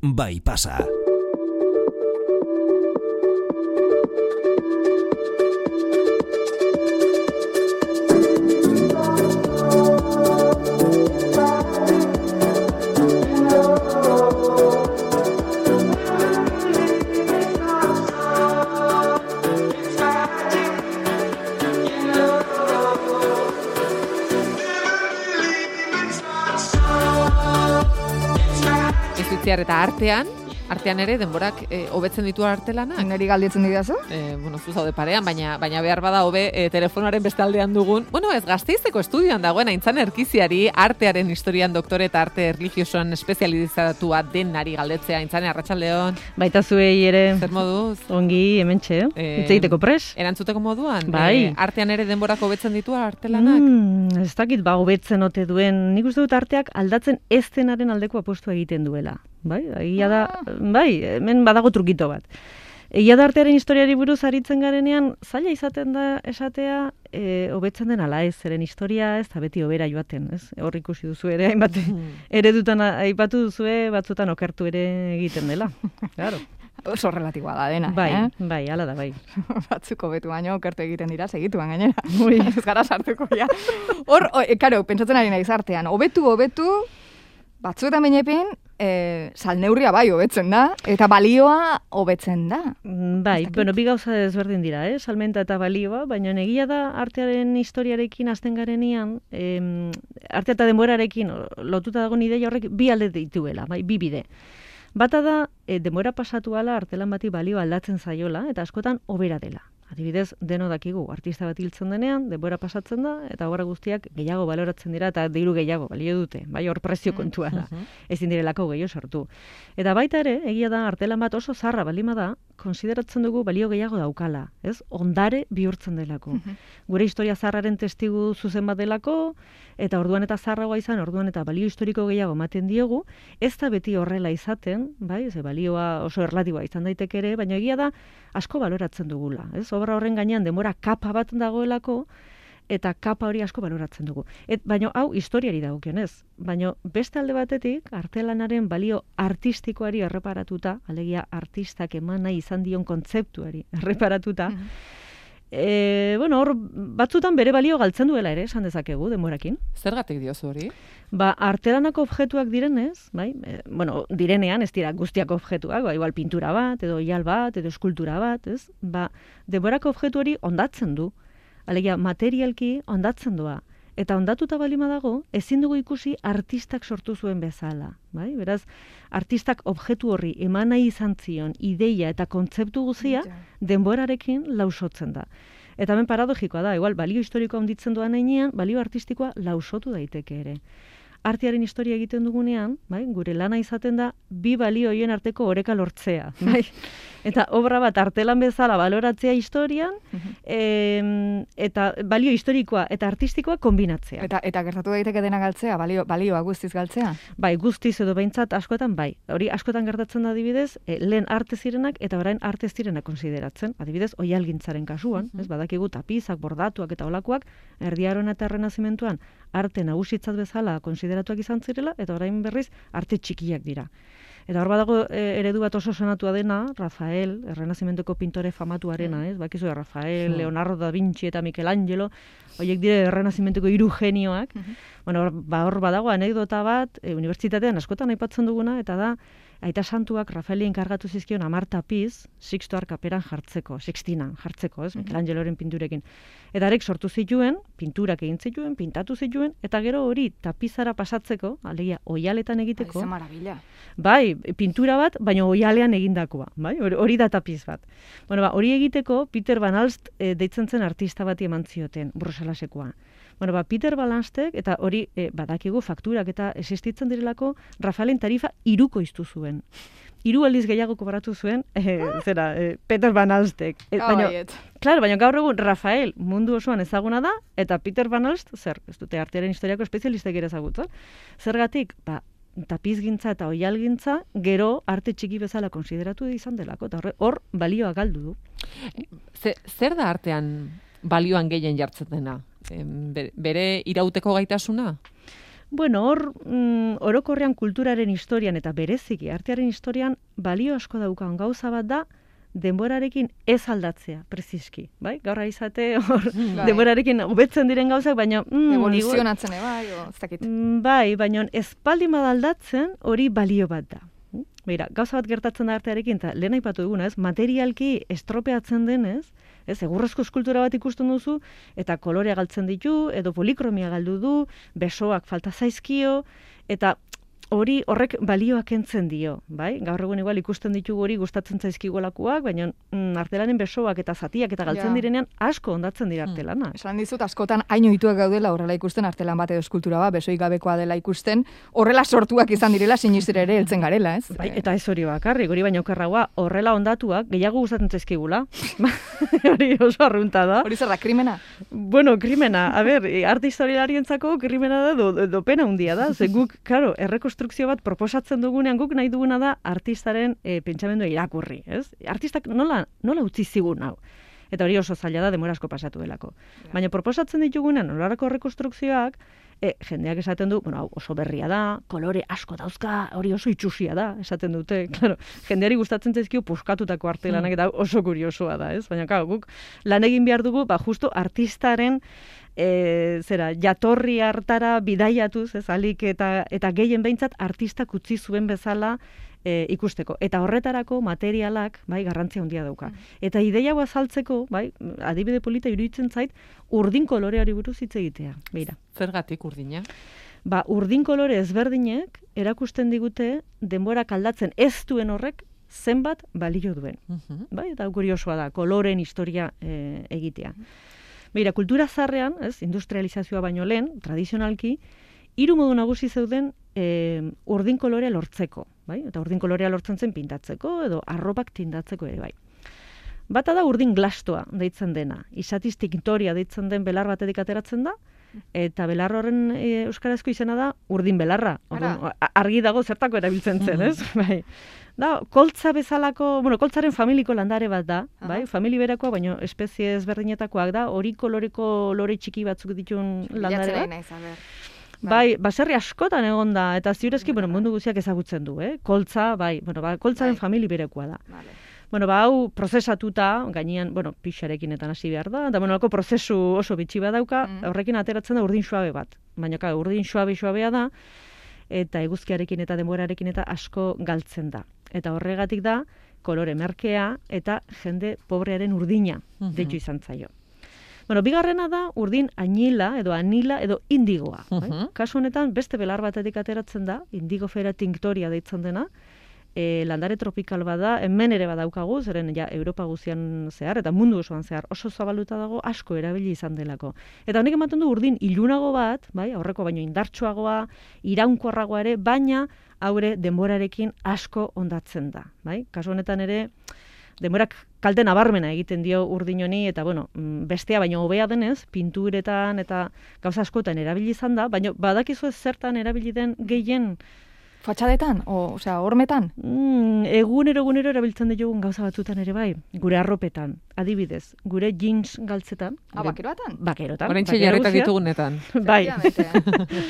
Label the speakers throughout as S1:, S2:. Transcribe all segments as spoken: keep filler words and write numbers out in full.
S1: bai pasa.
S2: Eta artean, artean ere denborak e, hobetzen ditu artelanak.
S3: Neri galdetzen didazu?
S2: E, bueno, zu zaude parean, baina baina behar bada hobe e, telefonoaren bestaldean dugun. Bueno, ez Gasteizeko estudioan dagoen Aintzane Erkiziari artearen historian doktore eta arte erlijiosoan espezializatua denari galdetzea. Aintzane, arratsaldeon.
S4: Baita zuei ere.
S2: Zer moduz?
S4: Ongi, hementxe, eh? Hitz egiteko pres?
S2: Erantzuteko moduan?
S4: Bai.
S2: E, artean ere denborak hobetzen ditu artelanak?
S4: Mm, ez dakit ba hobetzen ote duen. Nik uste dut arteak aldatzen ez denaren aldeko apostua egiten duela. Bai, egia da, bai, hemen badago trukito bat. Egia da artearen historiari buruz aritzen garenean, zaila izaten da esatea, e, hobetzen den ala ez, zeren historia ez da beti hobera joaten, ez? Hor ikusi duzu ere, hainbat eredutan aipatu duzue, batzutan okertu ere egiten dela. Claro.
S3: Oso relatiboa da dena,
S4: bai,
S3: eh?
S4: Bai, hala da, bai.
S3: Batzuko betu baino okertu egiten dira, segituan gainera. Ez gara sartuko, ja. Hor, e, karo, pentsatzen ari naiz artean, hobetu, hobetu, batzuetan bainepin, e, salneurria bai hobetzen da, eta balioa hobetzen da.
S4: Bai, bueno, bi gauza ezberdin dira, eh? Salmenta eta balioa, baina egia da artearen historiarekin hasten garenean, em, arte eta denborarekin lotuta dagoen ideia horrek bi alde dituela, bai, bi bide. Bata da, e, denbora pasatu ala artelan bati balio aldatzen zaiola, eta askotan hobera dela. Adibidez, deno dakigu, artista bat hiltzen denean, denbora pasatzen da, eta obra guztiak gehiago baloratzen dira, eta diru gehiago balio dute, bai hor prezio kontua da, ezin direlako gehiago sortu. Eta baita ere, egia da, artelan bat oso zarra balima da, konsideratzen dugu balio gehiago daukala, ez? Ondare bihurtzen delako. Gure historia zarraren testigu zuzen bat delako, eta orduan eta zarragoa izan, orduan eta balio historiko gehiago ematen diogu, ez da beti horrela izaten, bai, ze balioa oso erlatiboa izan daiteke ere, baina egia da asko baloratzen dugula, ez? Obra horren gainean denbora kapa bat dagoelako, eta kapa hori asko baloratzen dugu. Et, baina hau historiari dagokionez, baina beste alde batetik, artelanaren balio artistikoari erreparatuta, alegia artistak eman nahi izan dion kontzeptuari erreparatuta, E, bueno, hor batzutan bere balio galtzen duela ere, esan dezakegu, denborakin.
S2: Zergatik diozu hori?
S4: Ba, artelanako objektuak direnez, bai, e, bueno, direnean, ez dira guztiak objektuak, ba, igual pintura bat, edo oial bat, edo eskultura bat, ez? Ba, denborako objektu hori ondatzen du. Alegia, materialki ondatzen doa. Eta ondatuta balima dago, ezin dugu ikusi artistak sortu zuen bezala. Bai? Beraz, artistak objektu horri eman nahi izan zion ideia eta kontzeptu guzia denborarekin lausotzen da. Eta hemen paradogikoa da, igual, balio historikoa onditzen doan heinean, balio artistikoa lausotu daiteke ere. Artearen historia egiten dugunean, bai, gure lana izaten da, bi balio hoien arteko oreka lortzea. Bai? Eta obra bat artelan bezala baloratzea historian, e, eta balio historikoa eta artistikoa kombinatzea.
S3: Eta, eta gertatu daiteke dena galtzea, balio, balioa guztiz galtzea?
S4: Bai, guztiz edo behintzat askotan bai. Hori askotan gertatzen da adibidez, e, lehen arte zirenak eta orain arte zirenak konsideratzen. Adibidez, oihalgintzaren kasuan, ez badakigu tapizak, bordatuak eta olakoak, erdiaroan eta errenazimentuan arte nagusitzat bezala konsideratuak izan zirela, eta orain berriz arte txikiak dira. Eta hor badago e, eredu bat oso sonatua dena, Rafael, errenazimentuko pintore famatuarena, ez? Bakizu, Rafael, Leonardo da Vinci eta Michelangelo, horiek dire errenazimentuko hiru genioak. Bueno, hor, ba, hor badago anekdota bat, e, unibertsitatean askotan aipatzen duguna, eta da, Aita Santuak Rafaeli enkargatu zizkion hamar tapiz Sixto kaperan jartzeko, Sixtinan jartzeko, ez? Michelangeloren pinturekin. Eta arek sortu zituen, pinturak egin zituen, pintatu zituen, eta gero hori tapizara pasatzeko, alegia oihaletan egiteko.
S3: Ai, ze marabila.
S4: Bai, pintura bat, baina oihalean egindakoa, bai? Hori da tapiz bat. Bueno, ba, hori egiteko Peter Van Alst e, deitzen zen artista bati eman zioten, Bruselasekoa. Bueno, ba, Peter Balanstek, eta hori e, badakigu fakturak eta existitzen direlako, Rafaelen tarifa iruko iztu zuen. Hiru aldiz gehiago kobratu zuen, e, zera, e, Peter Van Alstek. E, baina, claro, baina gaur egun Rafael mundu osoan ezaguna da, eta Peter Van Alst, zer, ez dute artearen historiako espezialistek ere ezagutzen. Zergatik, ba, tapizgintza eta oihalgintza gero arte txiki bezala konsideratu izan delako, eta hor balioa galdu du.
S2: Zer da artean balioan gehien jartzen dena? Bere irauteko gaitasuna?
S4: Bueno, hor, mm, orokorrean kulturaren historian eta bereziki artearen historian balio asko daukan gauza bat da, denborarekin ez aldatzea, preziski, bai? Gaur izate hor
S3: Bai.
S4: denborarekin hobetzen diren gauzak, baina mm,
S3: evoluzionatzen bai, o ez dakit.
S4: Mm, Bai, baina ez baldin badaldatzen hori balio bat da. Beira, gauza bat gertatzen da artearekin, eta lehen aipatu duguna, ez, materialki estropeatzen denez, ez, egurrezko eskultura bat ikusten duzu, eta kolorea galtzen ditu, edo polikromia galdu du, besoak falta zaizkio, eta hori horrek balioak kentzen dio, bai? Gaur egun igual ikusten ditugu hori gustatzen zaizkigolakoak, baina mm, artelanen besoak eta zatiak eta galtzen
S3: Ja.
S4: direnean asko ondatzen dira artelana.
S3: Esan dizut, askotan haino ituak gaudela horrela ikusten, artelan bat edo eskultura bat, besoik gabekoa dela ikusten, horrela sortuak izan direla sinistera ere heltzen garela, ez?
S4: Bai, eta ez hori bakarrik, hori baino okerragoa, horrela ondatuak gehiago gustatzen zaizkigula. Hori oso arrunta da.
S3: Hori zer da, krimena?
S4: Bueno, krimena, a ber, arte historialarientzako krimena da, do, do pena handia da, ze guk, karo, errekonstrukzio bat proposatzen dugunean, guk nahi duguna da artistaren e, pentsamendua irakurri, ez? Artistak nola, nola utzi zigun hau? Eta hori oso zaila da, denbora asko pasatu delako. Baina proposatzen ditugunean, nolarako rekonstrukzioak, e, jendeak esaten du, bueno, hau oso berria da, kolore asko dauzka, hori oso itxusia da, esaten dute, claro, jendeari gustatzen zaizkio puskatutako arte lanak, eta oso kuriosoa da, ez? Baina, claro, guk lan egin behar dugu, ba, justo artistaren E, zera, jatorri hartara bidaiatuz, ez, alik eta, eta gehien behintzat artistak utzi zuen bezala e, ikusteko. Eta horretarako materialak, bai, garrantzia handia dauka. Eta ideia hau azaltzeko, bai, adibide polita iruditzen zait, urdin koloreari buruz hitz egitea. Beira.
S2: Zergatik urdina?
S4: Ba, urdin kolore ezberdinek erakusten digute denborak aldatzen ez duen horrek zenbat balio duen.
S2: Uh-huh.
S4: Bai, eta kuriosoa da, koloren historia e, egitea. Beira, kultura zarrean, ez, industrializazioa baino lehen, tradizionalki, hiru modu nagusi zeuden e, urdin kolorea lortzeko, bai? Eta urdin kolorea lortzen zen pintatzeko edo arropak tindatzeko ere, bai. Bata da urdin glastoa deitzen dena, izatiz tintoria deitzen den belar batetik ateratzen da, eta belar horren e, euskarazko izena da urdin belarra. Orduan, argi dago zertako erabiltzen zen, ez? Bai. Da, koltza bezalako, bueno, koltzaren familiko landare bat da, bai? Famili berakoa, baina espezie ezberdinetakoak da, hori koloreko lore txiki batzuk dituen landare bat.
S3: Naiz, a ber.
S4: Bai, baserri askotan egon da, eta ziurezki, bueno, mundu guztiak ezagutzen du, eh? Koltza, bai, bueno, ba, koltzaren
S3: Bai.
S4: famili berekoa da.
S3: Vale.
S4: Bueno, ba, hau prozesatuta, gainean, bueno, pixarekin eta hasi behar da, eta, bueno, halako prozesu oso bitxi bat dauka,
S3: Mm.
S4: horrekin ateratzen da urdin suabe bat. Baina, ka, urdin suabe-suabea da, eta eguzkiarekin eta denborarekin eta asko galtzen da. Eta horregatik da, kolore merkea eta jende pobrearen urdina
S2: Mhm.
S4: deitu izan zaio. Bueno, bigarrena da urdin anila edo anila edo indigoa. Bai?
S2: Mhm.
S4: Kasu honetan beste belar batetik ateratzen da, indigofera tinctoria deitzen dena, e, landare tropikal bada, hemen ere badaukagu, zeren ja Europa guztian zehar eta mundu osoan zehar oso zabaluta dago, asko erabili izan delako. Eta honek ematen du urdin ilunago bat, bai, aurreko baino indartsuagoa, iraunkorragoa ere, baina haure denborarekin asko ondatzen da, bai? Kasu honetan ere denborak kalte nabarmena egiten dio urdin honi, eta bueno, bestea baino hobea denez, pinturetan eta gauza askotan erabili izan da, baina badakizu ez zertan erabili den gehien.
S3: Fatxadetan, o, osea, hormetan?
S4: Mm, egunero egunero erabiltzen ditugun gauza batzutan ere bai, gure arropetan, adibidez, gure jeans galtzetan.
S3: Ah,
S4: gure-
S3: bakeroatan?
S4: Bakerotan.
S2: Oraintxe
S4: bakero
S2: jarrita
S4: guztiak.
S2: ditugunetan.
S4: Bai,
S3: Efectivamente.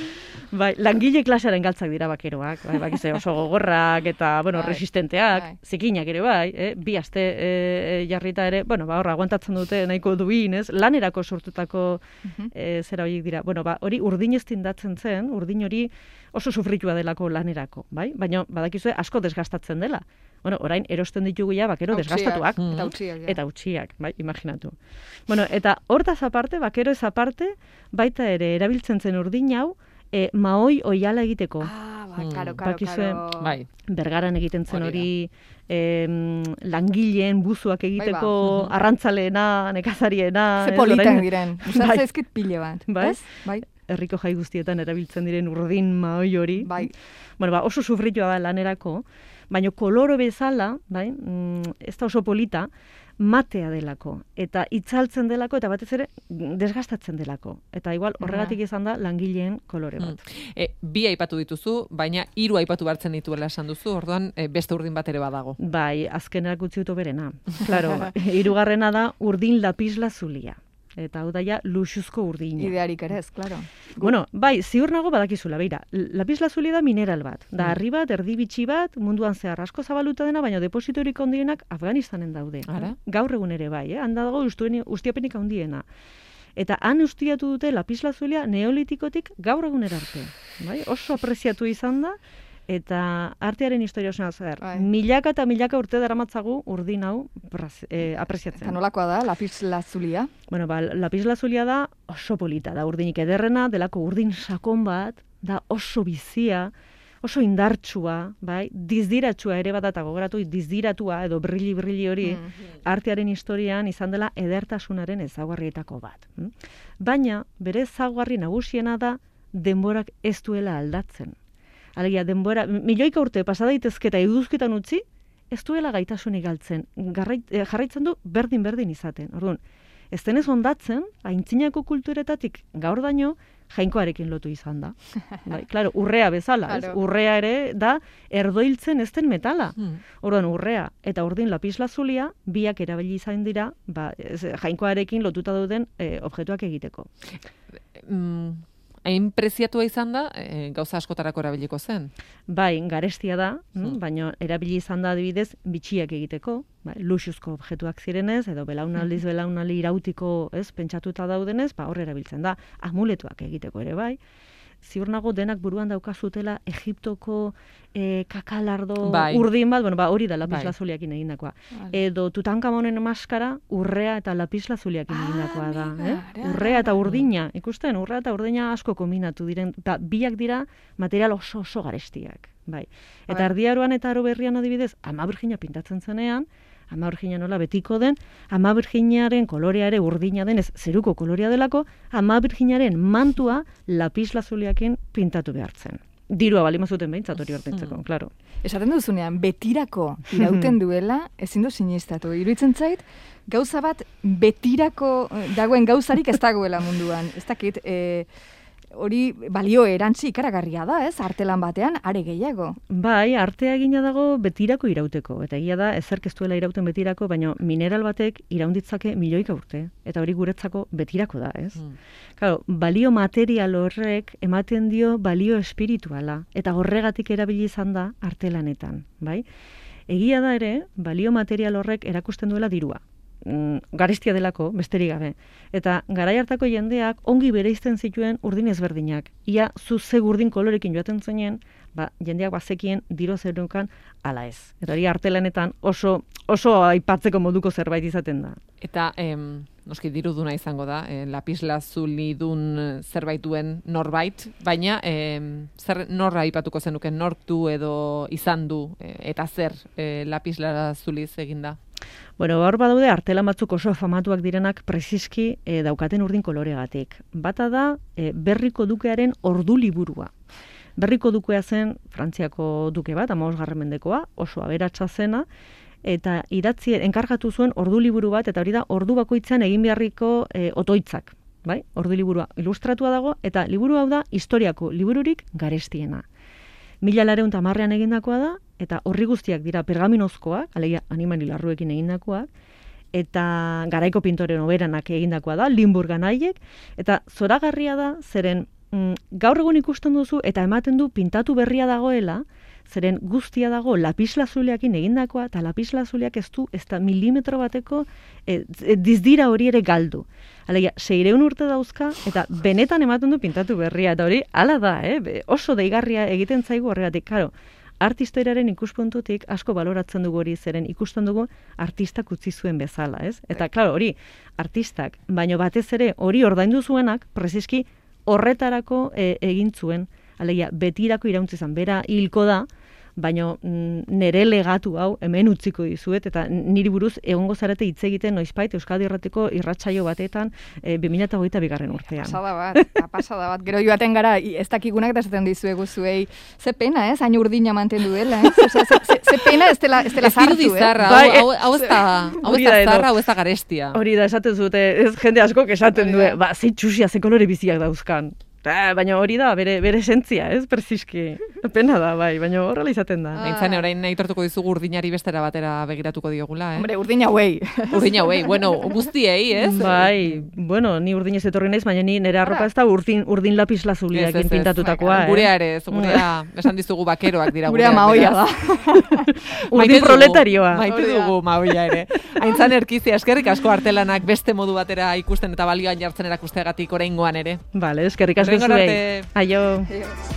S4: bai, langile klasearen galtzak dira bakeroak, bai, bakize oso gogorrak eta, bueno,
S3: Bai,
S4: resistenteak,
S3: bai.
S4: zikinak ere bai, eh? Bi aste eh, jarrita ere, bueno, ba, horra, aguantatzen dute nahiko duin, ez? Lanerako sortutako
S3: Mhm.
S4: eh, zera horiek dira. Bueno, ba, hori urdin ez tindatzen zen, urdin hori oso sufritua delako lanerako, bai? Baina, badakizue, asko desgastatzen dela. Bueno, orain erosten ditugu ja bakero
S3: Autsiak,
S4: desgastatuak.
S2: Mm.
S3: Eta utziak, ja.
S4: Eta utziak, bai, imaginatu. Bueno, eta hortaz aparte, bakero ez aparte, baita ere erabiltzen zen urdin hau, e, mahoi oiala egiteko.
S3: Ah, ba,
S2: Mm.
S3: karo, karo,
S4: Bakizue,
S3: karo.
S2: Bai.
S4: Bergaran egiten zen
S2: Hori da.
S4: hori, em, langileen buzuak egiteko,
S2: Bai, ba.
S4: arrantzaleena, nekazariena.
S3: Ze
S4: ez,
S3: politak
S4: orain-
S3: diren. Usa
S4: Bai.
S3: zaizkit pile bat.
S4: Bai.
S3: Ez? Bai.
S4: herriko jai guztietan erabiltzen diren urdin mahoi hori.
S3: Bai.
S4: Bueno, ba, oso sufritua da lanerako, baina koloro bezala, bai, mm, ez da oso polita, matea delako, eta itzaltzen delako, eta batez ere desgastatzen delako. Eta igual horregatik izan da langileen kolore bat.
S2: E, bi aipatu dituzu, baina hiru aipatu bartzen dituela esan duzu, orduan e, beste urdin bat ere badago.
S4: Bai, azkenerak utzi dut berena. Claro, hirugarrena da urdin lapisla zulia. eta hau daia luxuzko urdina.
S3: Idearik ere ez, claro.
S4: Bueno, bai, ziur nago badakizula, beira, lapislazuli da mineral bat, da harri bat, erdi bitxi bat, munduan zehar asko zabaluta dena, baina depositorik handienak Afganistanen daude.
S2: Ara?
S4: Gaur egun ere bai, eh? Handa dago ustiapenik handiena. Eta han ustiatu dute lapislazulia neolitikotik gaur egunera arte. Bai? Oso apreziatu izan da, eta artearen historia osena zer.
S3: Bai.
S4: Milaka eta milaka urte daramatzagu urdin hau praz, eh, apreziatzen.
S3: Eta nolakoa da, lapislazulia?
S4: Bueno, ba, lapislazulia da oso polita, da urdinik ederrena, delako urdin sakon bat, da oso bizia, oso indartsua, bai, dizdiratsua ere bat eta gogoratu, dizdiratua edo brilli-brilli hori
S3: Mm.
S4: artearen historian izan dela edertasunaren ezaugarrietako bat. Mm? Baina, bere ezaugarri nagusiena da denborak ez duela aldatzen. Alegia, denbora, milioika urte pasa daitezke eta iduzketan utzi, ez duela gaitasunik galtzen. Garrait, eh, jarraitzen du berdin-berdin izaten. Orduan, ez denez ondatzen, aintzinako kulturetatik gaur daño, jainkoarekin lotu izan da. Bai, claro, urrea bezala, ez?
S3: Claro.
S4: Urrea ere da erdoiltzen ez den metala.
S2: Hmm.
S4: Orduan, urrea eta urdin lapislazulia biak erabili izan dira, ba, ez, jainkoarekin lotuta dauden eh, objektuak egiteko.
S2: Mm, hain preziatua izan da, e, gauza askotarako erabiliko zen.
S4: Bai, garestia da,
S2: Hmm.
S4: mm, baina erabili izan da adibidez bitxiak egiteko, bai, luxuzko objektuak zirenez, edo belaunaldiz belaunaldi irautiko, ez, pentsatuta daudenez, ba hor erabiltzen da, amuletuak egiteko ere bai. Ziur nago denak buruan daukazutela Egiptoko eh, kakalardo
S2: Bai.
S4: urdin bat, bueno, ba hori da
S2: Bai.
S4: lapislazuliakin egindakoa.
S3: Vale.
S4: Edo Tutankamonen maskara urrea eta lapislazuliakin
S3: Ah,
S4: egindakoa da,
S3: amiga,
S4: eh?
S3: ara,
S4: Urrea eta
S3: ara.
S4: urdina, ikusten, urrea eta urdina asko kombinatu diren, eta biak dira material oso oso garestiak, bai. Eta
S3: Bai.
S4: Ardiaroan eta Aro Berrian adibidez, Ama Birjina pintatzen zenean, Ama Birjina nola betiko den, Ama Birjinaren kolorea ere urdina den, ez zeruko kolorea delako, Ama Birjinaren mantua lapislazuliakin pintatu behartzen. Dirua balimazuten behintzat hori ordaintzeko,
S2: Mm.
S4: claro.
S3: Esaten duzunean, betirako irauten duela, ezin du sinistatu. Iruditzen zait, gauza bat betirako eh, dagoen gauzarik ez dagoela munduan. Ez dakit, eh, hori balio erantzi ikaragarria da, ez? Artelan batean, are gehiago.
S4: Bai, artea egina dago betirako irauteko. Eta egia da, ezerk ez duela irauten betirako, baina mineral batek iraunditzake milioika urte. Eta hori guretzako betirako da, ez?
S2: Hmm.
S4: Claro, balio material horrek ematen dio balio espirituala. Eta horregatik erabili izan da artelanetan, bai? Egia da ere, balio material horrek erakusten duela dirua. Mm, garestia delako, besterik gabe. Eta garai hartako jendeak ongi bereizten zituen urdin ezberdinak. Ia zu ze urdin kolorekin joaten zenen, ba, jendeak bazekien diro zerunkan ala ez. Eta hori artelanetan oso oso aipatzeko moduko zerbait izaten da.
S2: Eta, em, noski diruduna izango da, eh, lapislazulidun zerbait duen norbait, baina em, zer norra aipatuko zenuken, nork du edo izan du, eh, eta zer eh, lapislazuliz eginda?
S4: Bueno, hor badaude artelan batzuk oso famatuak direnak preziski e, daukaten urdin koloregatik. Bata da e, Berriko dukearen ordu liburua. Berriko dukea zen Frantziako duke bat, hamabosgarren mendekoa, oso aberatsa zena, eta idatzi enkargatu zuen ordu liburu bat, eta hori da ordu bakoitzean egin beharriko e, otoitzak. Bai? Ordu liburua ilustratua dago, eta liburu hau da historiako libururik garestiena. Mila lareun tamarrean egindakoa da, eta horri guztiak dira pergaminozkoak, alegia animali larruekin egindakoak, eta garaiko pintore noberanak egindakoa da, Limburgan haiek, eta zoragarria da, zeren mm, gaur egun ikusten duzu, eta ematen du pintatu berria dagoela, zeren guztia dago lapislazuliakin egindakoa, eta lapislazuliak ez du, ez da milimetro bateko e, e, dizdira hori ere galdu. Alegia, seireun urte dauzka, eta benetan ematen du pintatu berria, eta hori, hala da, eh? Be, oso deigarria egiten zaigu horregatik, karo, artistoiraren ikuspuntutik asko baloratzen dugu hori, zeren ikusten dugu artistak utzi zuen bezala, ez? Eta, klaro, hori, artistak, baino batez ere hori ordaindu zuenak, preziski horretarako e, egin zuen, alegia, betirako irauntzi izan, bera hilko da, baina mm, nere legatu hau hemen utziko dizuet, eta niri buruz egongo zarete hitz egiten noizbait Euskadi Irratiko irratsaio batetan e, bi mila hogeita bigarren urtean.
S3: Pasada bat, pasada bat. Gero joaten gara, ez dakigunak eta esaten dizuegu zuei, ze pena, ez? Hain urdina mantendu dela, ez? Osea, ze, ze, ze pena ez dela, ez dela
S2: Ez dirudi
S3: zartu, eh?
S2: zarra,
S4: Bai,
S2: hau, hau, hau ez da, hau ez
S4: hori
S2: da
S4: da edo.
S2: zarra, hau ez da garestia.
S4: Hori da, esaten zute, ez jende askok esaten
S3: Hori
S4: du,
S3: da.
S4: ba, ze txusia, ze kolore biziak dauzkan. Ah, baina hori da, bere, bere esentzia, ez, persiski. Pena da, bai, baina horrela izaten da.
S2: Aintzane, orain aitortuko dizugu urdinari bestera batera begiratuko diogula, eh?
S3: Hombre, urdin hauei.
S2: Urdin hauei, bueno, guztiei, ez?
S4: Bai, bueno, ni urdinez etorri naiz, baina ni nire arropa ez da urdin, urdin lapis lazuliakin pintatutakoa, eh?
S2: Gurea ere, ez, gurea, esan dizugu bakeroak dira
S3: gurea. Gurea maoia da.
S4: Urdin proletarioa.
S2: Maite dugu maoia ere. Aintzane Erkizia, eskerrik asko artelanak beste modu batera ikusten eta balioan jartzen erakusteagatik oraingoan ere.
S4: Vale, eskerrik asko zuei. Aio. Aio.